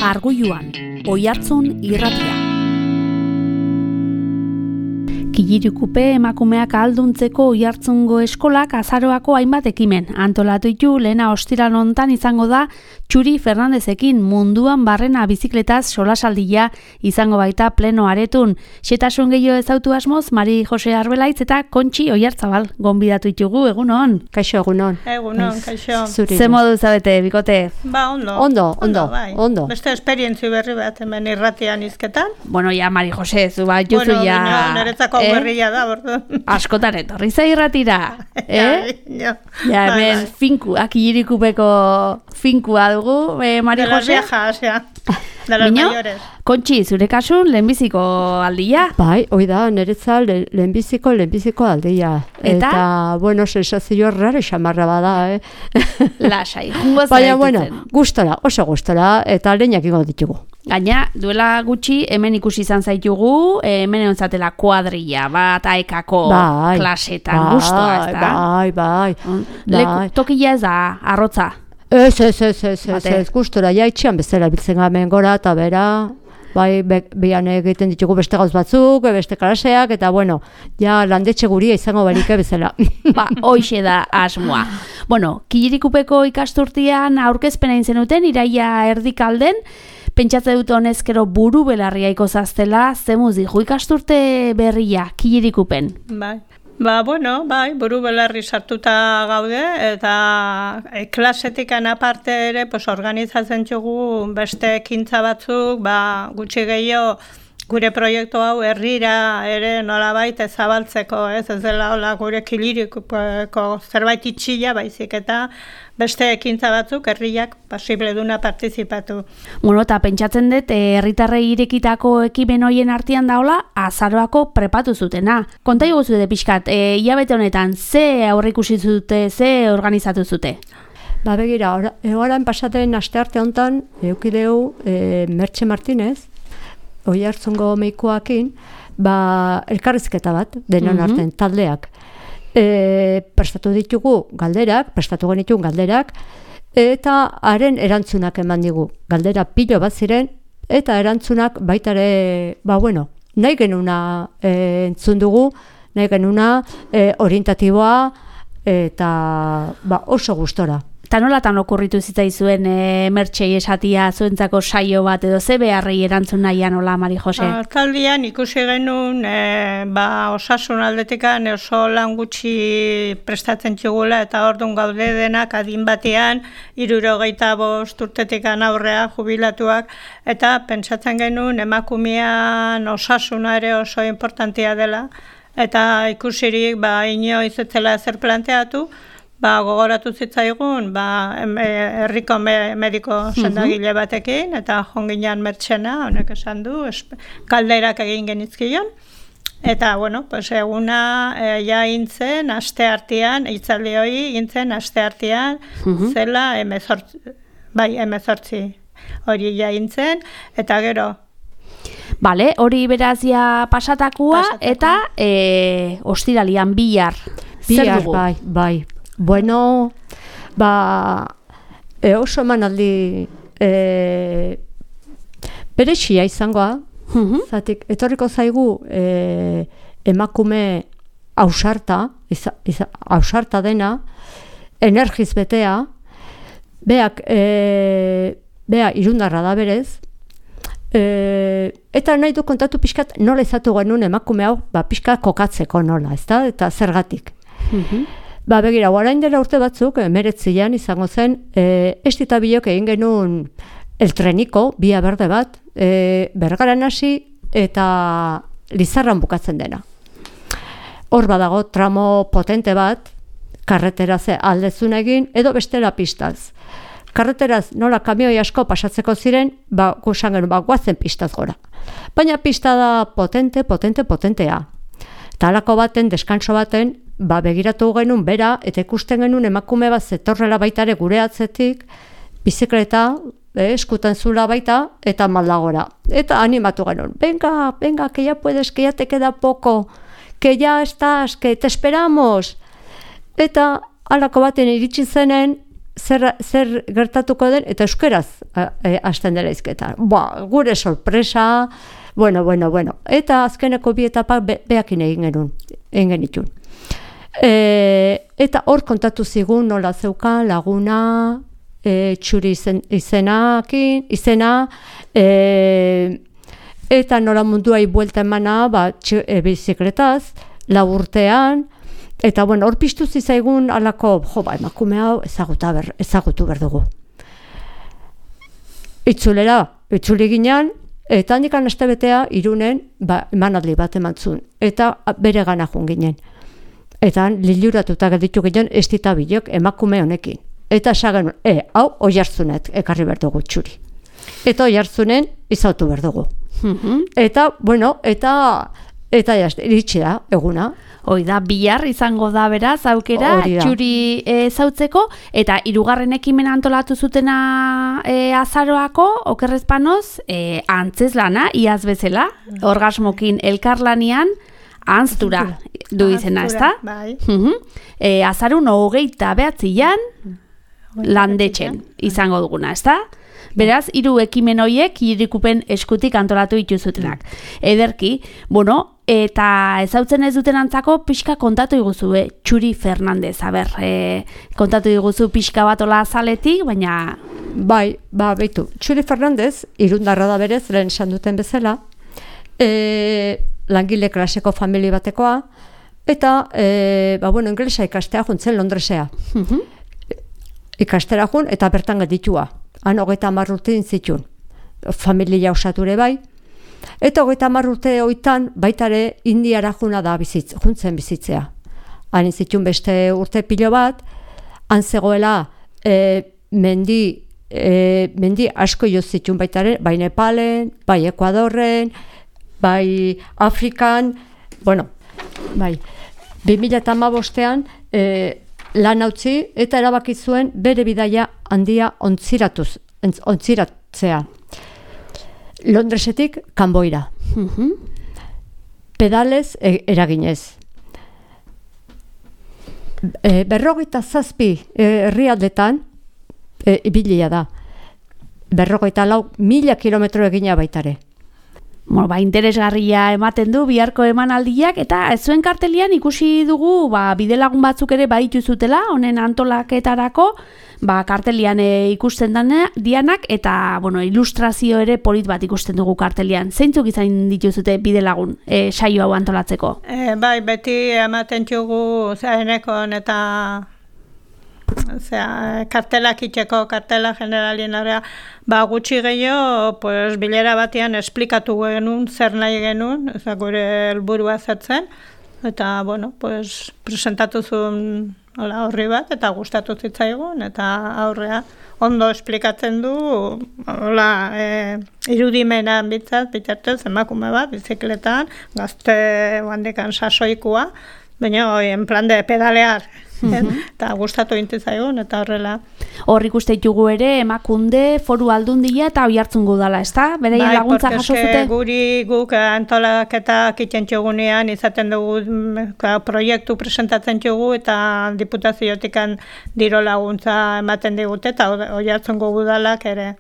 Arguluan, Oihartzun irratia. Killirikupe emakumeak ahalduntzeko Oihartzungo eskolak azaroako hainbat ekimen antolatu ditu. Lehena ostiral hontan izango da Txuri Fernandezekin munduan barrena bizikletaz solasaldia izango baita pleno aretun. Xetasun gehiago ezautu asmoz, Mari Jose Arbelaitz eta Kontxi Oiartzabal gonbidatu ditugu. Egunon. Kaixo, egunon. Egunon, kaixo. Ze modu zabete, bikote? Ba, ondo. Ondo. Beste esperientzi berri bat hemen irratian izketan. Bueno, ja, Mari Jose, zu bat juzu Bueno, ja... niretzako berria da, bordo. Askotan etorri za irratira, Ja, Ja, hemen finkuak Killirikupeko finkua dugu, Mari de las Jose. viejas, ja. De las Miño? mayores. Kontxi, zure kasun lehenbiziko aldia? Bai, hoi da, niretza lehenbiziko aldia. Eta? Bueno, sensazio raro xamarra bada, Lasai, jungo Baina, zaitutzen. bueno, gustora, oso gustora, eta lehenak ingo ditugu. Gaina, duela gutxi, hemen ikusi izan zaitugu, hemen egon zatela kuadrilla, bat aekako klasetan, guztua, ez da? Bai. Tokia ez da, arrotza. Ez, gustora, ja itxian bezala biltzen gamen gora, eta bera, bai, behan egiten ditugu beste gauz batzuk, beste klaseak, eta bueno, ja landetxe guria izango barike bezala. Ba, hoixe da asmoa. Bueno, Killirikupeko ikasturtian aurkezpena egin zenuten, iraia erdikalden, pentsatze dut honezkero buru belarriaiko zaztela, zemuz dijo ikasturte berria Killirikupen. Bai. Ba, bueno, bai, buru belarri sartuta gaude, eta klasetikan aparte ere, pues, organizatzen dugu beste ekintza batzuk, ba, gutxi gehiago, gure proiektu hau herrira ere nolabait ezabaltzeko, ez dela hola gure Killirikupeko zerbait itxila baizik eta beste ekintza batzuk herriak posible duna partizipatu. Bueno, eta pentsatzen dut, herritarrei irekitako ekimen hoien artean daola, azaroako prepatu zutena. Konta iguzu dute pixkat, hilabete honetan, ze aurreikusi zute, ze organizatu zute? Ba, begira, orain pasaten astearte hontan, eukideu Mertxe Martinez, Oihartzungo meikoakin, ba, elkarrizketa bat, denon artean, taldeak. Prestatu genituen galderak, eta haren erantzunak eman digu. Galdera pilo bat ziren, eta erantzunak baitare, ba, bueno, nahi genuna entzun dugu, nahi genuna orientatiboa, eta ba, oso gustora. Eta nolatan okurritu zitzaizuen Mertxei esatia zuentzako saio bat edo ze beharrei erantzun nahian, hola, Mari Jose? Taldian ikusi genuen osasun aldetikan oso lan gutxi prestatzen txugula eta orduan gaude denak adin batean 65 urtetikan aurrea jubilatuak eta pentsatzen genuen emakumean osasuna ere oso importantea dela eta ikusirik inoiz ez zela ezer planteatu, gogoratu zitzaigun, herriko mediko sendagile batekin, eta jonginan Mertxena, honek esan du, galderak egin genizkion. Eta, bueno, eguna ja intzen, aste artean, hitzaldi hori intzen, aste artean, zela 18 hori ja intzen, eta gero. Bale, hori berazia pasatakua, eta ostiralian bihar. Bihar, bai. Bueno, oso emanaldi berexia izangoa, zatik, etorriko zaigu emakume ausarta dena, energiz betea, bea irundarra da berez, eta nahi du kontatu pixkat nola izatu genuen emakume hau, pixkat kokatzeko nola, ezta? Eta zergatik. Begira, orain dela urte batzuk, 19 izango zen, estita bilok egin genuen el treniko, bia berde bat, Bergaran hasi eta Lizarran bukatzen dena. Hor badago tramo potente bat, karreteraz aldezun egin, edo bestela pistaz. Karreteraz nola kamioi asko pasatzeko ziren, gusan genuen, guazen pistaz gora. Baina pista da potentea. Eta halako baten, deskanso baten, begiratu genuen bera, eta ikusten genuen emakume bat zetorrela baitare gure atzetik, bizikleta, eskutan zula baita, eta maldagora. Eta animatu genuen, venga, que ya puedes, que ya te queda poco, que ya estás, que te esperamos. Eta halako baten iritsi zenen, zer gertatuko den, eta euskeraz hasten dela izketa. Gure sorpresa, bueno. Eta azkeneko bi etapak behakin egin genitun. Eta hor kontatu zigun nola zeukan laguna, txuri izena, eta nola munduai buelta emana, bizikletaz, 4 urtean, eta hor piztu zizaigun alako, emakume hau ezagutu berdugu. Itzuli ginen, eta handikan astebetea Irunen emanaldi bat emantzun, eta bere gana joan ginen. Eta liluratuta gelditu ginen estita bilok emakume honekin. Eta esagen, hau Oiartzunet ekarri berdugu txuri. Eta Oiartzunen izautu berdugu. Eta, eta iritsi da, eguna. Hoi da, bihar izango da beraz, aukera, txuri zautzeko, eta 3. ekimena antolatu zutena azaroako, okerrezpanoz, antzeslana, iaz bezala, orgasmokin elkarlanian, antztura du izena, ezta? Bai. Azarun 29an landetxen izango duguna, ezta? Beraz, 3 ekimen horiek irikupen eskutik antolatu dituzutenak. Ederki, eta ezautzen ez duten antzako pixka kontatu iguzu, Txuri Fernandez, kontatu iguzu pixka bat ola azaletik, baina... Bai, beitu, Txuri Fernandez, irundarra da berez, lehen esan duten bezala, langile klaseko famili batekoa, eta, inglesa ikastea juntzen Londresea. Ikastera jun, eta bertan geditua. Han 30 urte dintzitun. Familia osature bai. Eta 30 urte hoitan baitare Indiara juna da juntzen bizitzea. Han intzitun beste urte pilo bat, han zegoela mendi asko jozitun baitare, bai Nepalen, bai Ekuadorren, bai Afrikan, bai. 2015ean lan utzi eta erabaki zuen bere bidaia handia ontziratzea. Londresetik Kanboira. Pedalez eraginez. 47 herrialdetan ibilia da. 44.000 kilometro egina baitare. Interesgarria ematen du biharko emanaldiak, eta zuen kartelian ikusi dugu bidelagun batzuk ere baditu zutela, honen antolaketarako, kartelian ikusten dianak, eta ilustrazio ere polit bat ikusten dugu kartelian. Zeintzuk izan dituzute bidelagun saio hau antolatzeko? Bai, beti ematen txugu zahenekon eta kartelak itxeko, kartela generalien area, gutxi gehiago, bilera batean esplikatu genuen, zer nahi genuen, gure helburua zertzen, eta, presentatu zuen horri bat, eta gustatu zitzaigun, eta aurrea ondo esplikatzen du, irudimenan bitartez, emakume bat, bizikletan, gazte handikan sasoikoa, baina en plan de pedalear, eta gustatu intizaigun, eta horrela. Hor ikuste ditugu ere, Emakunde, Foru Aldundia eta Oiartzungo udala, ezta? Bereien laguntza jaso zute? Guk antolaketak itxentxogunean izaten dugu proiektu presentatzen txugu, eta diputaziotik diro laguntza ematen digute, eta Oiartzungo udalak ere.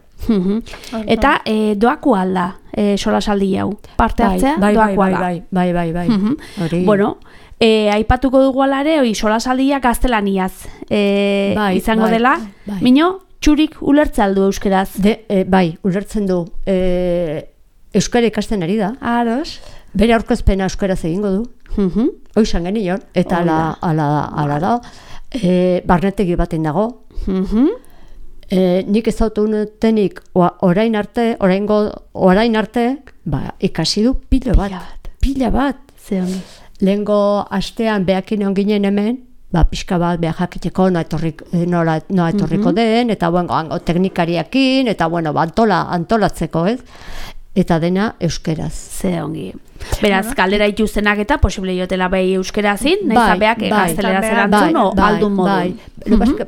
Eta doaku alda, solasaldi hau? Parte hartzea, doaku alda? Bai. Aipatuko dugu alare, solasaldia gaztelaniaz izango dela. Mino, Txurik ulertza aldu euskeraz? Bai, ulertzen du. Euskara ikasten ari da. Ados. Bere aurkezpena euskaraz egingo du. Hoizan genion, eta ala da. Barnetegi baten dago. Nik ezautu unetenik orain arte, ikasi du pila bat. Lehengo astean behakin onginen hemen, pixka bat behar jakiteko noa etorriko den, eta teknikariakin, eta antolatzeko, ez? Eta dena euskeraz. Ze ongi. Beraz, kaldera ituzenak eta posible jotela behi euskerazin, nahi zabeak gaztelera zerantzun, o aldun modu.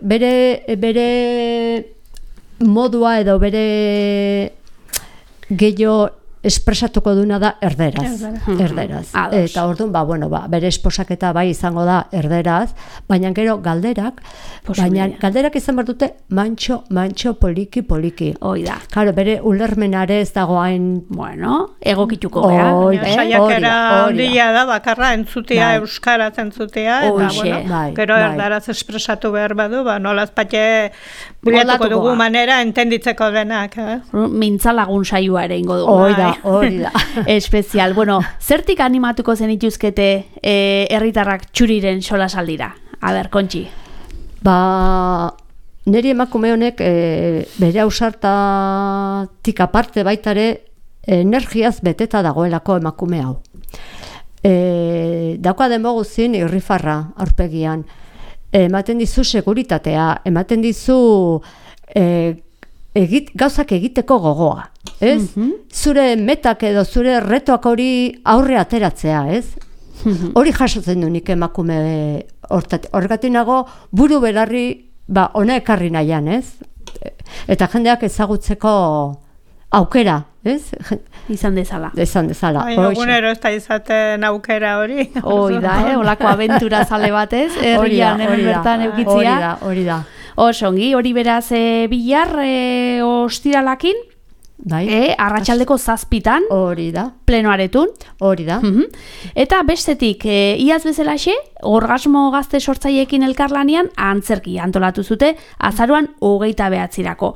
Bere modua edo bere gehiago espresatuko duna da erderaz. Eta orduan, bere esposaketa bai izango da erderaz, baina gero galderak izan behar dute mantxo poliki. Hoi da. Claro, bere ulermenare ez dagoain... Bueno, egokituko gara. Saiakera handia da, bakarra entzutea, euskaraz entzutea, eta gero erdaraz espresatu behar badu, nolaz pate bilatuko dugu manera entenditzeko denak. Mintzalagun saioa ere ingo dugu. Hori da. Espezial. Bueno, zertik animatuko zenituzkete herritarrak txuriren solasaldira? A ber, Kontxi. Neri emakume honek bere ausartatik aparte baitare energiaz beteta dagoelako emakume hau. Dauka demoguzin irrifarra aurpegian. Ematen dizu seguritatea, ematen dizu... gauzak egiteko gogoa, ez? Zure metak edo zure retoak hori aurre ateratzea, ez? Hori jasotzen du nik emakume horregatik nago buru belarri ona ekarri nahian, ez? Eta jendeak ezagutzeko aukera, ez? Izan dezala. Egunero ez da izaten aukera hori. Hoi da, olako abentura zale batez, herrian hemen bertan eukitzia. Hori da. Osongi, hori beraz Bilar ostiralakin, arratsaldeko 7:00 hori da. Plenoaretun. Hori da. Eta bestetik, iaz bezalaxe, Orgasmo Gazte Sortzaileekin elkarlanean antzerki antolatu zute azaroan 29.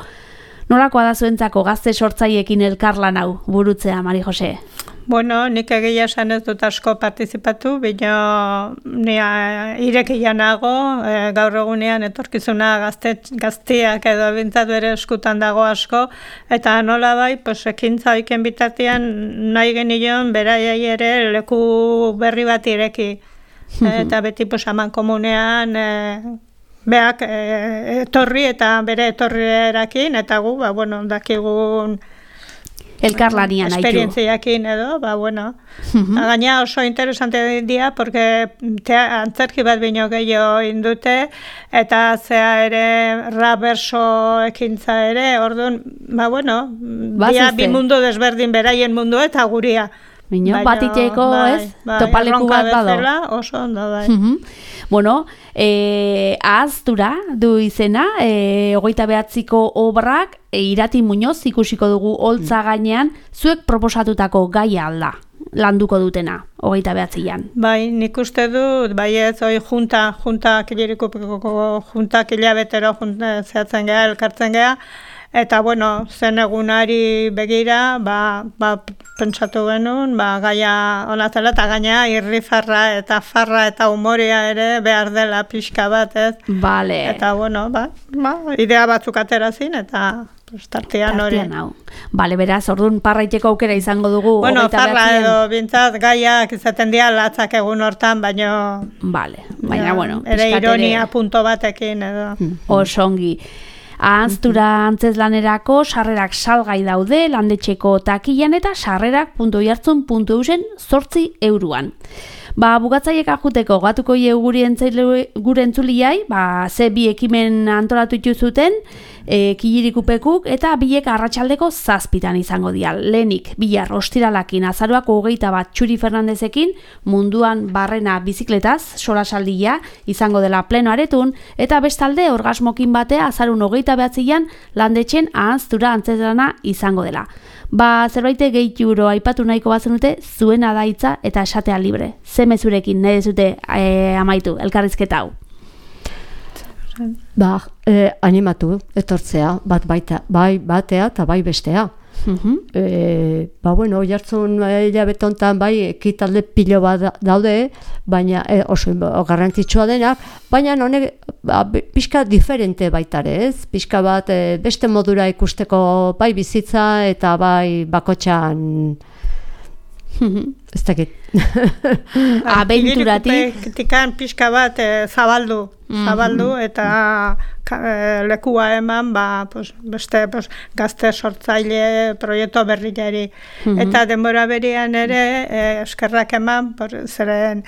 Nolakoa da zuentzako gazte sortzaileekin elkarlan hau burutzea, Mari Jose? Bueno, nik egia esan ez dut asko partizipatu, baina irekia nago, gaur egunean etorkizuna gazteak edo bintzatu ere eskutan dago asko, eta nola bai, ekintza oiken bitartean nahi genion beraiai ere leku berri bat ireki. Eta beti aman komunean beak etorri eta bere etorrierakin, eta gu, dakigun elkarlanian haitu. Esperientziakin edo, Gaina oso interesante dira, porque antzerki bat bino gehiago indute, eta zea ere rap berso ekintza ere, orduan, dia bi mundu desberdin beraien mundu eta guria. Batiteko, ez? Topaleku bat bado. Oso ondo, bai. Bueno, ahaztura du izena, 29ko obrak, Irati Muñoz ikusiko dugu holtza gainean, zuek proposatutako gaia alda, landuko dutena, 29an. Bai, nik uste dut, ez, junta hilabetero zehatzen geha, elkartzen geha, eta, zen egunari begira, pentsatu genuen, gaia onatela, eta gaina irrifarra eta farra eta humoria ere behar dela pixka bat, ez? Bale. Eta, idea batzuk aterazin, eta tartean hori. Bale, beraz, orduan parraiteko aukera izango dugu. Farra edo bintzat gaiak izaten dira latzak egun hortan, baina... Bale, baina, ere ironia punto batekin, edo. Osongi. Ahanztura antzeslanerako sarrerak salgai daude landetxeko takilan eta sarrerak.oiartzun.eusen 8 €. Bugatzaiek ajuteko gatuko gure entzuliai, ze bi ekimen antolatu dituzuten, Kilirikupekuk eta biek arratsaldeko 7:00 izango dira. Lehenik, Bilar ostiralakin azaroako 21 Txuri Fernandezekin munduan barrena bizikletaz solasaldia izango dela plenoaretun, eta bestalde orgasmokin batea azarun 29an landetxen ahanztura antzeslana izango dela. Zerbait gehiago aipatu nahiko bazenute, zuena da hitza eta esatea libre. Ze mezurekin nahi dezute amaitu elkarrizketa hau? Animatu, etortzea, bai batea eta bai bestea. Oiartzun hilabetontan bai ekitalde pilo bat daude, baina oso garrantzitsua denak, baina honek pixka diferente baitare, ez? Pixka bat beste modura ikusteko bai bizitza eta bai bakotxan ez dakit. Abenturatik. Pixka bat zabaldu eta lekua eman beste gazte sortzaile proiektu berriari. Eta denbora berian ere eskerrak eman, zeren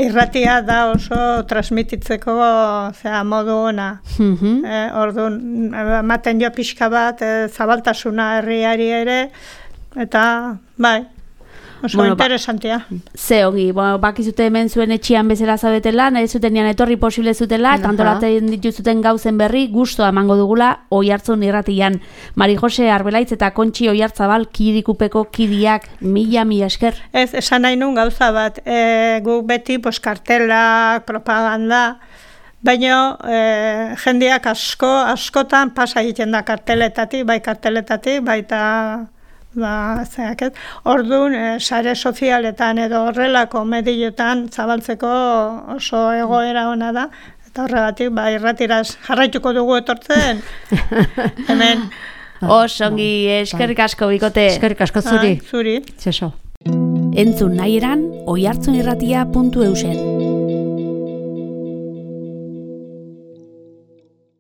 irratia da oso transmititzeko modu ona. Orduan, ematen jo pixka bat zabaltasuna herriari ere, eta bai, oso interesantea. Ze ongi, bakizute hemen zuen etxian bezala zabetela, nahi zutenean etorri posible zutela, eta antolatzen dituzuten gauzen berri, gustoa emango dugula Oiartzun irratian. Mari Jose Arbelaitz eta Kontxi Oiartzabal Kirikupeko kidiak, mila esker. Ez, esan nahi nun gauza bat, guk beti kartela, propaganda, baina jendeak askotan pasa egiten da karteletatik, baita orduan, sare sozialetan edo horrelako medioetan zabaltzeko oso egoera ona da, eta horregatik, irratiraz jarraituko dugu etortzen, hemen. Osongi, eskerrik asko, bikote. Eskerrik asko zuri. Zuri. Zeso. Entzun nahi eran, oiartzunirratia.eusen.